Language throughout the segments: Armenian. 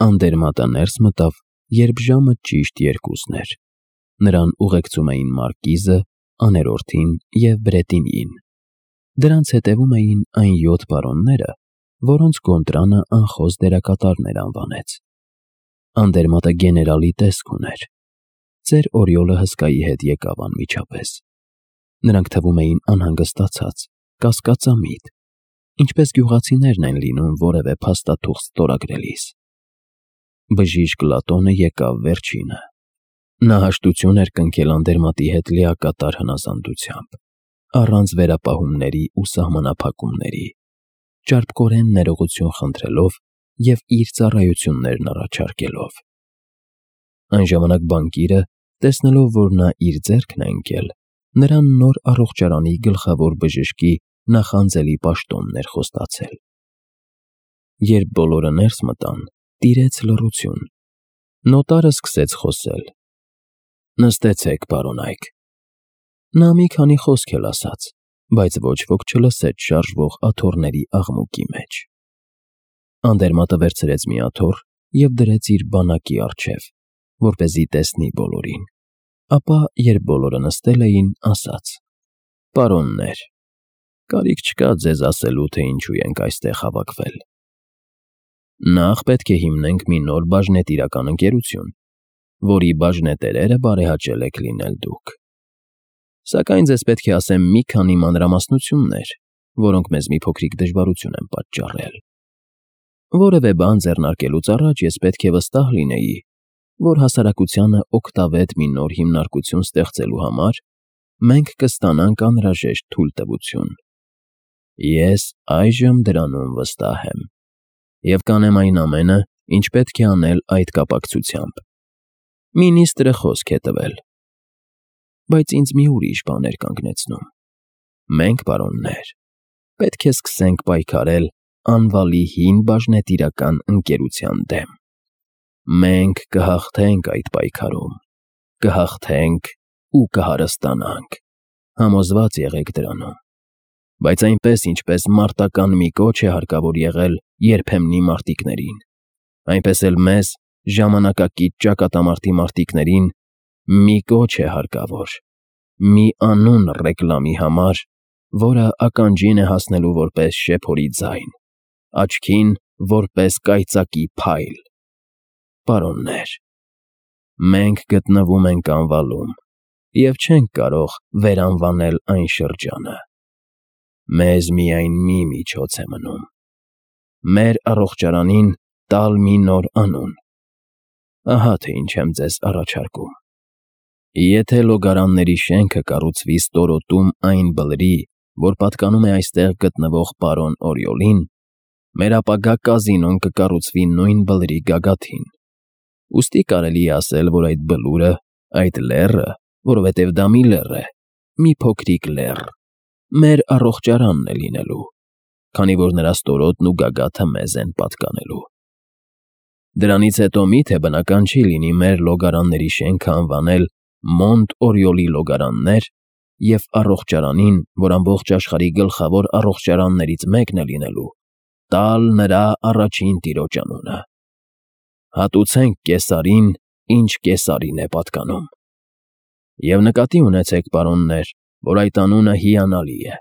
Անդերմատը ներս մտավ, երբ ժամը ճիշտ 2-ն էր։ Նրան ուղեկցում էին մարկիզը, աներորդին և Բրետինիին։ Դրանց հետևում էին այն 7 պարոնները, որոնց Գոնտրանը անխոս դերակատարներ անվանեց։ Անդերմատը գեներալի տեսք ուներ։ Ծեր Օրիոլը հսկայի հետ եկավ անմիջապես։ Նրանք թվում էին անհանգստացած, կասկածամիտ, ինչպես գյուղացիներն են լինում որևէ փաստաթուղթ ստորագրելիս։ Բժիշկ Լատոնը եկավ վերջինը։ Նա հաշտություն էր կնքել Անդերմատի հետ լիակատար հնազանդությամբ, առանց վերապահումների ու սահմանափակումների, ճարպկորեն ներողություն խնդրելով և իր ծառայություններն առաջարկելով։ Այն ժամանակ բանկիրը, տեսնելով, որ նա իր ձեռքն է ընկել, նրան նոր առողջարանի գլխավոր բժշկի նախանձելի պաշտոնն էր խոստացել։ Երբ բոլորը ներս մտան, տիրեց լռություն։ Նոտարը սկսեց խոսել. «Նստեցեք, պարոն Այք»։ Նա մի քանի խոսք էլ ասաց, բայց ոչ ոք չլսեց շարժվող աթոռների աղմուկի մեջ։ Անդերմատը վերցրեց մի աթոռ և դրեց իր բանակի առջև, որպեսզի տեսնի բոլորին, ապա, երբ բոլորը նստել էին, ասաց. «Պարոններ, կարիք չկա ձեզ ասելու, թե ինչու ենք այստեղ հավաքվել։ Նախ պետք է հիմնենք մի նոր բաժնետիրական ընկերություն, որի բաժնետերերը բարեհաճել եք լինել դուք։ Սակայն ձեզ պետք է ասեմ մի քանի մանրամասնություններ, որոնք մեզ մի փոքրիկ դժվարություն են պատճառել։ Որևէ բան ձեռնարկելուց առաջ ես պետք է վստահ լինեի, որ հասարակությանը օգտավետ մի նոր հիմնարկություն ստեղծելու համար մենք կստանանք անհրաժեշտ թույլտվություն։ Ես այժմ դրանում վստահ եմ և կանեմ այն ամենը, ինչ պետք է անել այդ կապակցությամբ։ Մինիստրը խոսք է տվել, բայց ինձ մի ուրիշ բան էր կանգնեցնում։ Մենք, պարոններ, պետք է սկսենք պայքարել անվալի հին բաժնետիրական ընկերության դեմ։ Մենք կհաղթենք այդ պայքարում, կհաղթենք ու կհարստանանք, համոզված եղեք դրանում։ Բայց այնպես, ինչպես մարտական մի կոչ է հարկավոր եղել երբեմնի մարտիկներին, այնպես էլ մեզ, ժամանակակից ճակատամարտի մարտիկներին, մի կոչ է հարկավոր, մի անուն ռեկլամի համար, որը ականջին է հասնելու որպես շեփորի ձայն, աչքին որպես կայծակի փայլ։ Պարոններ, մենք գտնվում ենք անվալում և չենք կարող վերանվանել այն շրջանը։ Մեզ միայն մի միջոց է մնում. մեր առողջարանին տալ մի նոր անուն։ Ահա թե ինչ եմ ձեզ առաջարկում։ Եթե Լոգարանների շենքը կառուցվի ստորոտում այն բլրի, որ պատկանում է այստեղ գտնվող պարոն Օրիոլին, մեր ապագա կազինոն կկառուցվի նույն բլրի գագաթին։ Ուստի կարելի է ասել, որ այդ բլուրը, այդ լեռը, որովհետև դա մի լեռ է, մի փոքրիկ լեռ, մեր առողջարանն է լինելու, քանի որ նրա ստորոտն ու գագաթը մեզ են պատկանելու։ Դրանից հետո միթե բնական չի լինի մեր Լոգարանների շենքը անվանել Մոնտ Օրիոլի լոգարաններ և առողջարանին, որ ամբողջ աշխարհի գլխավոր առողջարաններից մեկն է լինելու, տալ նրա առաջին տիրոջ անունը։ Հատուցենք Կեսարին, ինչ Կեսարին է պատկանում։ Եվ նկատի ունեցեք, պարոններ, որ այդ անունը հիանալի է։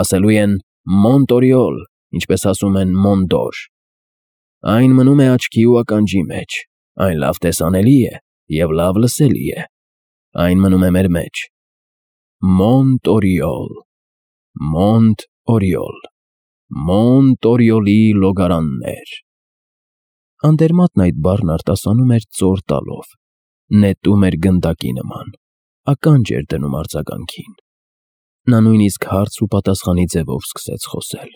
Ասելու են Մոնտ Օրիոլ, ինչպես ասում են Մոնդոր։ Այն մնում է աչքի ու ականջի մեջ, այն լավ տեսանելի է և լավ լսելի է։ Այն մնում է մեր մեջ։ Մոնտ Օրիոլ, Մոնտ Օրիոլ, Մոնտ Օրիոլի լոգարաններ։ Անդերմատն այդ բառն արտասանում էր ծոր տալով, նետում էր գնդակի նման, ականջ էր դնում արձագանքին։ Նա նույնիսկ հարց ու պատասխանի ձևով սկսեց խոսել։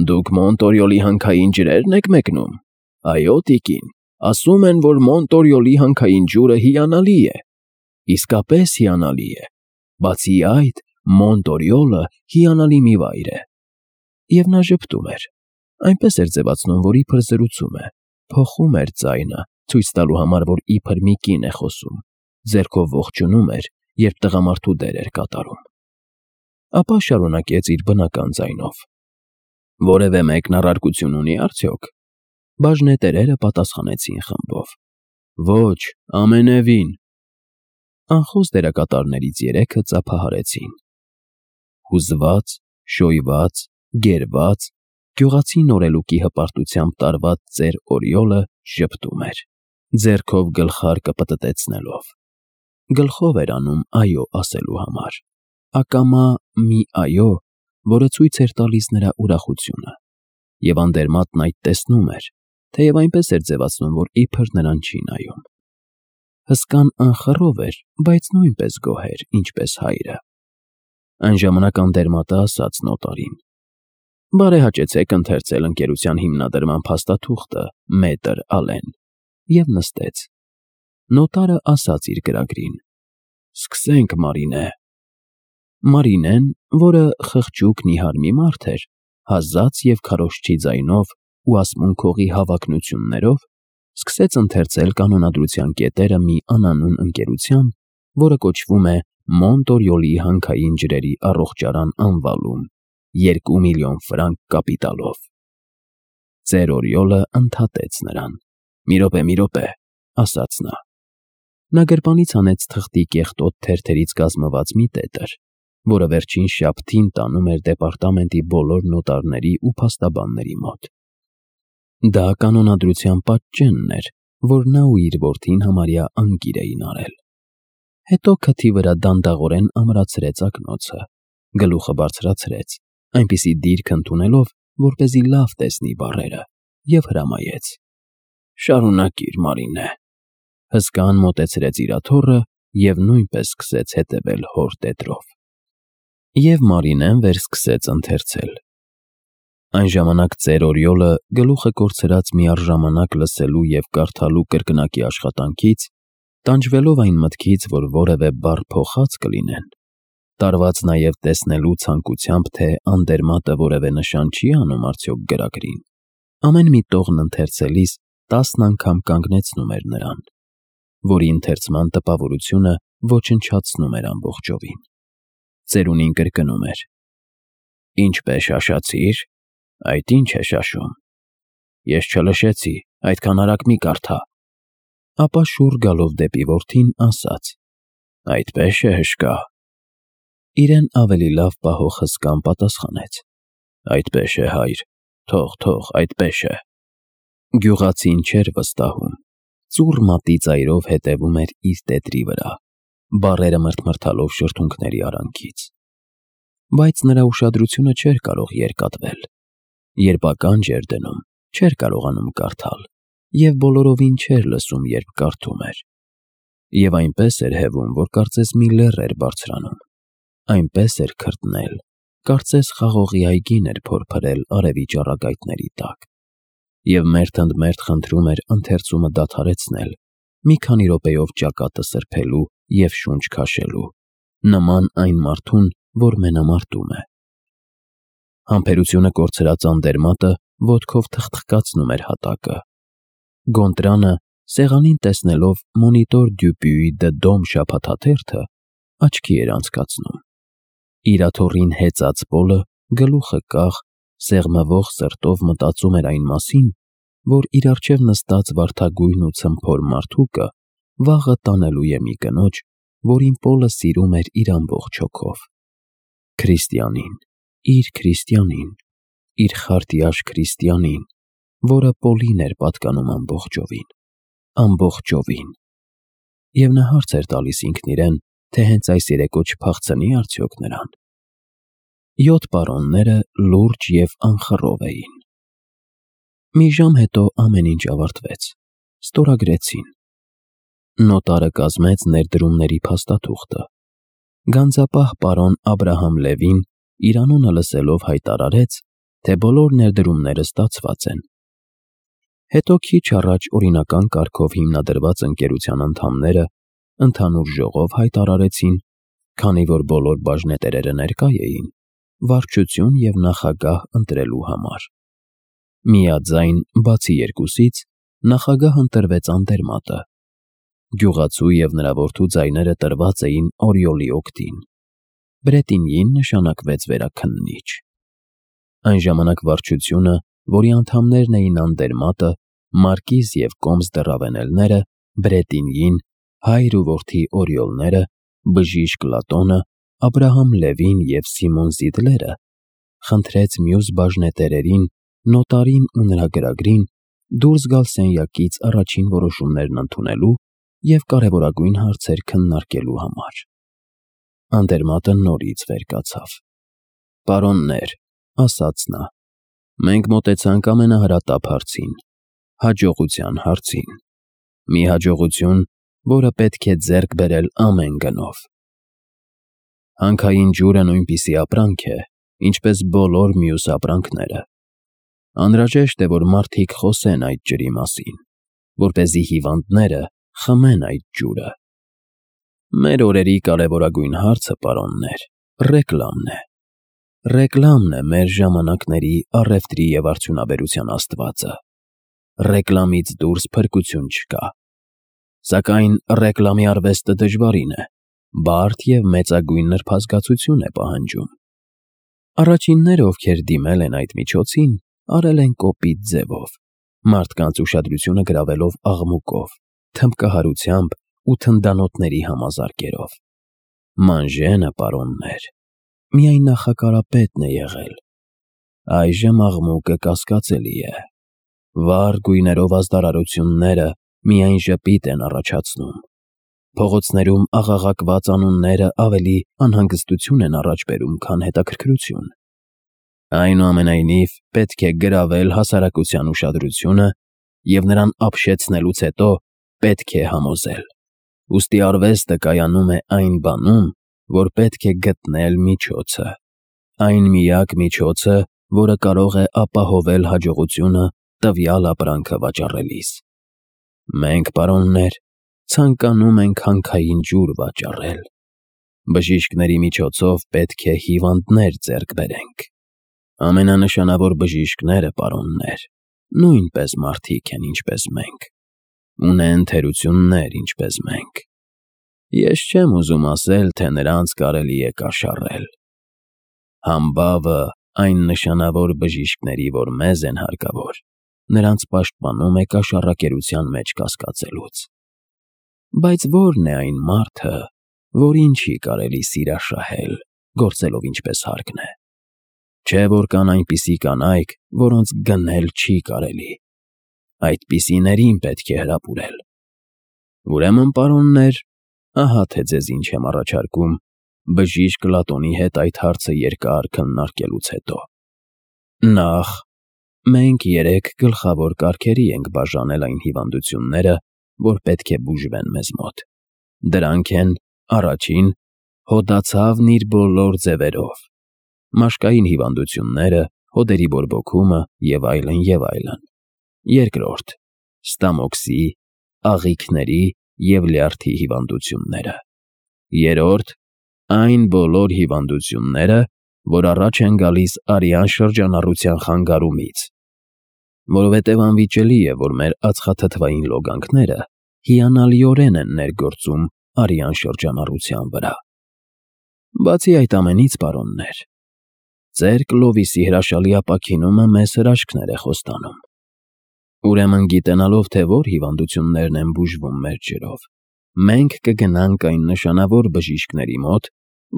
Դուք Մոնտ Օրիոլի հանքային ջրե՞րն եք մեկնում։ Այո, տիկին, ասում են, որ Մոնտ Օրիոլի հանքային ջուրը հիանալի է։ Իսկապես հիանալի է։ Բացի այդ, Մոնտ Օրիոլը հիանալի մի վայր է։ Եվ նա ժպտում էր, այնպես էր ձևացնում, որ իբր զրուցում է, փոխում էր ձայնը, ցույց տալու համար, որ իբր մի կին է խոսում, ձեռքով ողջունում էր, երբ տղամարդու դեր էր կատարում։ Ապա շարունակեց իր բնական ձայնով. Որևէ մեկն առարկություն ունի՞ արդյոք։ Բաժնետերերը պատասխանեցին խմբով. Ոչ, ամենևին։ Անխոս դերակատարներից 3-ը ծափահարեցին. հուզված, շոյված, գերված, գյուղացի նորելուկի հպարտությամբ տարված ծեր Օրիոլը ժպտում էր, ձեռքով գլխարկը պտտեցնելով։ Գլխով էր անում այո ասելու համար, ակամա մի այո, որը ցույց էր տալիս նրա ուրախությունը, և Անդերմատն այդ տեսնում էր, թեև այնպես էր ձևացնում, որ իբր նրան չի նայում։ Հսկան անխռով էր, բայց նույնպես գոհ էր, ինչպես հայրը։ Այն ժամանակ Անդերմատը ասաց նոտարին. «Բարեհաճեցեք ընթերցել ընկերության հիմնադրման փաստաթուղթը, մետր Ալեն», և նստեց։ Նոտարը ասաց իր գրագրին. «Սկսենք, Մարինե»։ Մարինեն, որը խղճուկ նիհար մի մարդ էր, հազաց և քարոզչի ձայնով ու ասմունքողի հավակնություններով, սկսեց ընթերցել կանոնադրության կետերը մի անանուն ընկերության, որը կոչվում է Մոնտորյոլի հանքային ջրերի առողջարան անվալում, 2 միլիոն ֆրանկ կապիտալով։ Ծեր Օրիոլը ընդհատեց նրան. «Մի րոպե», ասաց նա։ Նա գրպանից հանեց թղթի կեղտոտ թերթերից կազմված մի տետր, որը վերջին շաբթին տանում էր դեպարտամենտի բոլոր նոտարների ու փաստաբանների մոտ։ Դա կանոնադրության պատճենն էր, որ նա ու իր որդին համարյա անգիր էին արել։ Հետո քթի վրա դանդաղորեն ամրացրեց ակնոցը, գլուխը բարձրացրեց, այնպիսի դիրք ընդունելով, որպեսզի լավ տեսնի բառերը, և հրամայեց. «Շարունակիր, Մարինե»։ Հսկան մոտեցրեց իր աթոռը և նույնպես սկսեց հետևել հոր տետրով։ Եվ Մարինեն վերսկսեց ընթերցել։ Այն ժամանակ ծեր Օրիոլը, գլուխը կորցրած միառժամանակ լսելու և կարդալու կրկնակի աշխատանքից, տանջվելով այն մտքից, որ որևէ բառ փոխած կլինեն, տարված նաև տեսնելու ցանկությամբ, թե Անդերմատը որևէ նշան չի անում արդյոք գրագրին, ամեն մի տողն ընթերցելիս 10 անգամ կանգնեցնում էր նրան, որի ընթերցման տպավորությունը ոչնչացնում էր ամբողջովին։ Ծերունին կրկնում էր. «Ինչպես շաշացիր, այդ ինչ է շաշում։ Ես չլշեցի, այդքան արագ մի կարդա»։ Ապա շուռ գալով դեպի որդին ասաց. «Այդպես է հշկա»։ Իրեն ավելի լավ պահող հսկան պատասխանեց. «Այդպես է, հայր, թող, այդպես է»։ Գյուղացին չէր վստահում, ծուռ մատի ծայրով հետևում էր իր տետրի վրա, բառերը մրթմրթալով շրթունքների արանքից։ Բայց նրա ուշադրությունը չէր կարող երկատվել։ Երբ ականջ էր դնում, չէր կարողանում կարդալ, և բոլորովին չէր լսում, երբ կարդում էր։ Եվ այնպես էր հևում, որ կարծես մի լեռ էր բարձրանում, այնպես էր քրտնել, կարծես խաղողի այգին էր փորփրել արևի ճառագայթների տակ, և մերթ ընդ մերթ խնդրում էր ընթերցումը դադարեցնել, մի քանի րոպեով ճակատը սրբելու և շունչ քաշելու, նման այն մարդուն, որ մենամարտում է։ Համբերությունը կորցրած Անդերմատը ոտքով թխթխկացնում էր հատակը։ Գոնտրանը, սեղանին տեսնելով Մոնիտոր դյու Պյուի դե Դոմ շաբաթաթերթը, աչքի էր անցկացնում։ Իր աթոռին հեծած Պոլը, գլուխը կախ, սեղմվող սրտով մտածում էր այն մասին, որ իր առջև նստած վարդագույն ու ցմփոր մարդուկը վաղը տանելու է մի կնոջ, որին Պոլը սիրում էր իր ամբողջ հոգով։ Քրիստիանին, իր քրիստիանին, իր խարտյաշ քրիստիանին, որը Պոլին էր պատկանում ամբողջովին։ Եվ նա հարց էր տալիս ինքն իրեն, թե հենց այս երեկո չփախցնի արդյոք նրան։ 7 պարոնները լուրջ և անխռով էին։ Մի ժամ հետո ամեն ինչ ավարտվեց, ստորագրեցին։ Նոտարը կազմեց ներդրումների փաստաթուղթը։ Գանձապահ պարոն Աբրահամ Լևին իր անունը լսելով հայտարարեց, թե բոլոր ներդրումները ստացված են։ Հետո քիչ առաջ օրինական կարգով հիմնադրված ընկերության անդամները ընդհանուր ժողով հայտարարեցին, քանի որ բոլոր բաժնետերերը ներկա էին, վարչություն և նախագահ ընտրելու համար։ Միաձայն, բացի երկուսից, նախագահ ընտրվեց Անդերմատը։ Գյուղացու և նրա որդու ձայները տրված էին Օրիոլի օգտին։ Բրետինյին նշանակվեց վերաքննիչ։ Այն ժամանակ վարչությունը որի անդամներն էին Անդերմատը, Մարկիզ և Կոմս դռավենելները, Բրետինյին, հայր ու որդի Օրիոլները, բժիշկ Լատոնը, Աբրահամ Լևին և Սիմոն Զիդլերը, խնդրեց մյուս բաժնետերերին, նոտարին ու նրա գրագրին դուրս գալ սենյակից առաջին որոշումներն ընդունելու և կարևորագույն հարցեր քննարկելու համար։ Անդերմատը նորից վեր կացավ։ «Պարոններ», ասաց նա, «մենք մոտեցանք ամենահրատապ հարցին, հաջողության հարցին։ Մի հաջողություն, որը պետք է ձեռք բերել ամեն գնով։ Հանքային ջուրը նույնպիսի ապրանք է, ինչպես բոլոր մյուս ապրանքները։ Անհրաժեշտ է, որ մարդիկ խոսեն այդ ջրի մասին, որպեսզի հիվանդները խմեն այդ ջուրը։ Մեր օրերի կարևորագույն հարցը, պարոններ, ռեկլամն է։ Ռեկլամն է մեր ժամանակների առևտրի և արդյունաբերության աստվածը։ Ռեկլամից դուրս փրկություն չկա։ Սակայն ռեկլամի արվեստը դժվարին է, բարդ և մեծագույն նրբազգացություն է պահանջում։ Առաջինները, ովքեր դիմել են այդ միջոցին, արել են կոպիտ ձևով, մարդկանց ուշադրությունը գրավելով աղմուկով, թմբկահարությամբ ու թնդանոթների համազարկերով։ Մանժենը, պարոններ, միայն նախակարապետն է եղել։ Այժմ աղմուկը կասկածելի է։ Վառ գույներով ազդարարությունները միայն ժպիտ են առաջացնում։ Փողոցներում աղաղակված անունները ավելի անհանգստություն են առաջ բերում, քան հետաքրքրություն։ Այնուամենայնիվ, պետք է գրավել հասարակության ուշադրությունը և նրան ապշեցնելուց հետո պետք է համոզել։ Ուստի արվեստը կայանում է այն բանում, որ պետք է գտնել միջոցը։ Այն միակ միջոցը, որը կարող է ապահովել հաջողությունը տվյալ ապրանքը վաճառելիս։ Մենք, պարոններ, ցանկանում ենք հանքային ջուր վաճառել։ Բժիշկների միջոցով պետք է հիվանդներ ձեռք բերենք։ Ամենանշանավոր բժիշկները, պարոններ, նույնպես մարդիկ են, ինչպես մենք, ունեն թերություններ, ինչպես մենք։ Ես չեմ ուզում ասել, թե նրանց կարելի է կաշառել։ Համբավը այն նշանավոր բժիշկների, որ մեզ են հարկավոր, նրանց պաշտպանում է կաշառակերության մեջ կասկածելուց։ Բայց ո՞րն է այն մարդը, որին չի կարելի սիրաշահել, գործելով ինչպես հարկն է։ Չէ՞ որ կան այնպիսի կանայք, որոնց գնել չի կարելի։ Այդպիսիներին պետք է հրապուրել։ Ուրեմն, պարոններ, ահա թե ձեզ ինչ եմ առաջարկում բժիշկ Լատոնի հետ այդ հարցը երկար քննարկելուց հետո։ Նախ, մենք 3 գլխավոր կարգերի ենք բաժանել այն հիվանդությունները, որ պետք է բուժվեն մեզ մոտ։ Դրանք են. առաջին, հոդացավն իր բոլոր ձևերով, մաշկային հիվանդությունները, հոդերի բորբոքումը և այլն և այլն։ Երկրորդ, ստամոքսի, աղիքների և լյարդի հիվանդությունները։ Երրորդ, այն բոլոր հիվանդությունները, որ առաջ են գալիս արյան շրջանառության խանգարումից, որովհետև անվիճելի է, որ մեր ածխաթթվային լոգանքները հիանալիորեն են ներգործում արյան շրջանառության վրա։ Բացի այդ ամենից, պարոններ, ձեր Կլովիսի հրաշալի ապաքինումը մեզ հրաշքներ է խոստանում։ Ուրեմն, գիտենալով, թե որ հիվանդություններն են բուժվում մեր ջրով, մենք կգնանք այն նշանավոր բժիշկների մոտ,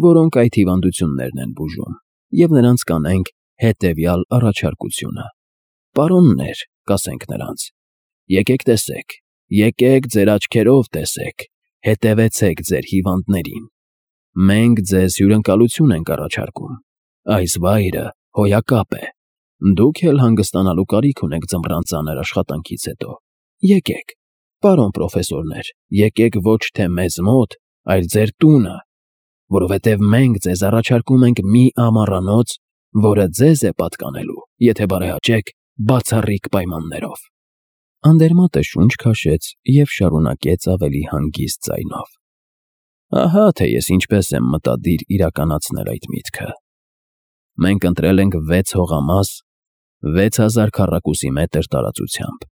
որոնք այդ հիվանդություններն են բուժում, և նրանց կանենք հետևյալ առաջարկությունը. «Պարոններ», կասենք նրանց, «եկեք տեսեք, եկեք ձեր աչքերով տեսեք, հետևեցեք ձեր հիվանդներին։ Մենք ձեզ հյուրընկալություն ենք առաջարկում։ Այս վայրը հոյակապ է։ Դուք էլ հանգստանալու կարիք ունեք ձմռան ծանր աշխատանքից հետո։ Եկեք, պարոն պրոֆեսորներ, եկեք ոչ թե մեզ մոտ, այլ ձեր տունը, որովհետև մենք ձեզ առաջարկում ենք մի ամառանոց, որը ձեզ է պատկանելու, եթե բարեհաճեք, բացառիկ պայմաններով»։ Անդերմատը շունչ քաշեց և շարունակեց ավելի հանգիստ ձայնով. «Ահա թե ես ինչպես եմ մտադիր իրականացնել այդ միտքը։ Մենք ընտրել ենք 6 հողամաս 6000 քառակուսի մետր տարածությամբ։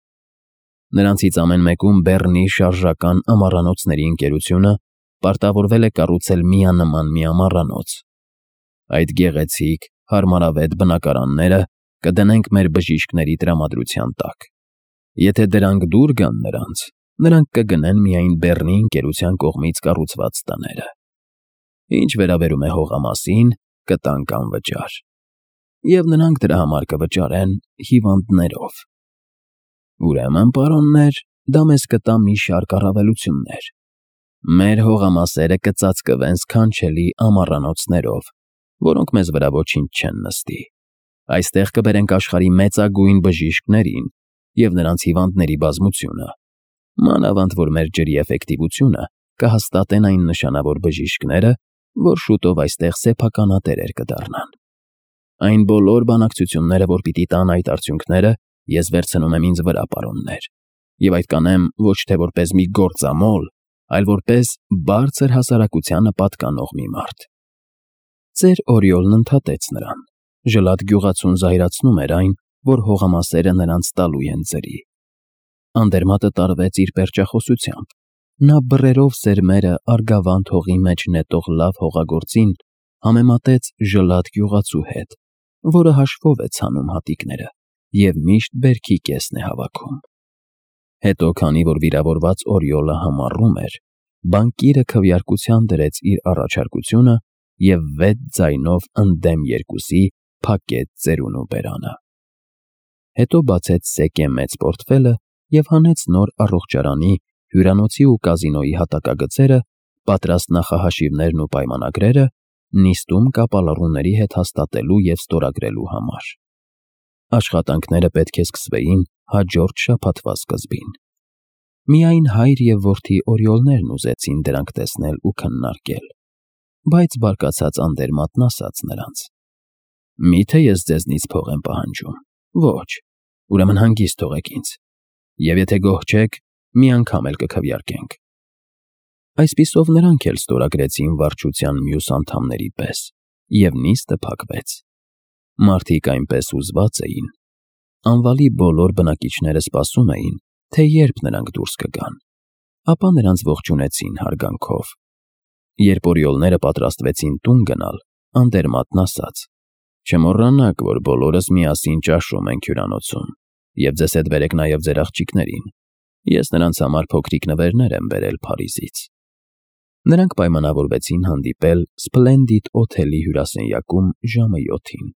Նրանցից ամեն մեկում Բեռնի շարժական ամառանոցների ընկերությունը պարտավորվել է կառուցել միանման մի ամառանոց։ Այդ գեղեցիկ, հարմարավետ բնակարանները կդնենք մեր բժիշկների տրամադրության տակ։ Եթե դրանք դուր գան նրանք կգնեն միայն Բեռնի ընկերության կողմից կառուցված տները։ Ինչ վերաբերում է հողամասին, կտանք անվճար։ Եվ նրանք դրա համար կվճարեն հիվանդներով։ Ուրեմն, պարոններ, դա մեզ կտա մի շարք առավելություններ։ Մեր հողամասերը կծածկվեն սքանչելի ամառանոցներով, որոնք մեզ վրա ոչինչ չեն նստի։ Այստեղ կբերենք աշխարհի մեծագույն բժիշկներին և նրանց հիվանդների բազմությունը, մանավանդ որ մեր ջրի էֆեկտիվությունը կհաստատեն այն նշանավոր բժիշկները, որ շուտով այստեղ սեփականատերեր կդառնան։ Այն բոլոր բանակցությունները, որ պիտի տան այդ արդյունքները, ես վերցնում եմ ինձ վրա, պարոններ, և այդ կանեմ ոչ թե որպես մի գործամոլ, այլ որպես բարձր հասարակությանը պատկանող մի մարդ։ Ծեր Օրիոլն ընդհատեց նրան։ Ժլատ գյուղացուն զայրացնում էր այն, որ հողամասերը նրանց տալու են ձրի։ Անդերմատը տարվեց իր պերճախոսությամբ։ Նա բռերով սերմերը Արգավանդ հողի մեջ նետող լավ հողագործին համեմատեց ժլատ գյուղացու հետ, որը հաշվով է ցանում հատիկները և միշտ բերքի կեսն է հավաքում։ Հետո, քանի որ վիրավորված Օրիոլը համառում էր, բանկիրը քվեարկության դրեց իր առաջարկությունը և 6 ձայնով ընդդեմ 2-ի փակեց ծերունու բերանը։ Հետո բացեց սեկե մեծ պորտֆելը և հանեց նոր առողջարանի, հյուրանոցի ու կազինոյի հատակագծերը, պատրաստ նախահաշիվներն ու պայմանագրերը, նիստում կապալառուների հետ հաստատելու և ստորագրելու համար։ Աշխատանքները պետք է սկսվեին հաջորդ շաբաթվա սկզբին։ Միայն հայր և որդի Օրիոլներն ուզեցին դրանք տեսնել ու քննարկել, բայց բարկացած Անդերմատն ասաց նրանց. «Միթե ես ձեզնից փող եմ պահանջում։ Ոչ, ուրեմն հանգիստ թողեք ինձ, և եթե գոհ չեք, մի անգամ էլ կքվեարկենք»։ Այսպիսով նրանք էլ ստորագրեցին վարչության մյուս անդամների պես, և նիստը փակվեց։ Մարդիկ այնպես հուզված էին։ Անվալի բոլոր բնակիչները սպասում էին, թե երբ նրանք դուրս կգան, ապա նրանց ողջունեցին հարգանքով։ Երբ Օրիոլները պատրաստվեցին տուն գնալ, Անդերմատն ասաց. «Չմոռանաք, որ բոլորս միասին ճաշում ենք հյուրանոցում, և ձեզ հետ բերեք նաև ձեր աղջիկներին։ Ես նրանց համար փոքրիկ նվերներ եմ բերել Փարիզից»։ Նրանք պայմանավորվեցին հանդիպել Սփլենդիդ օթելի հյուրասենյակում ժամը 7-ին։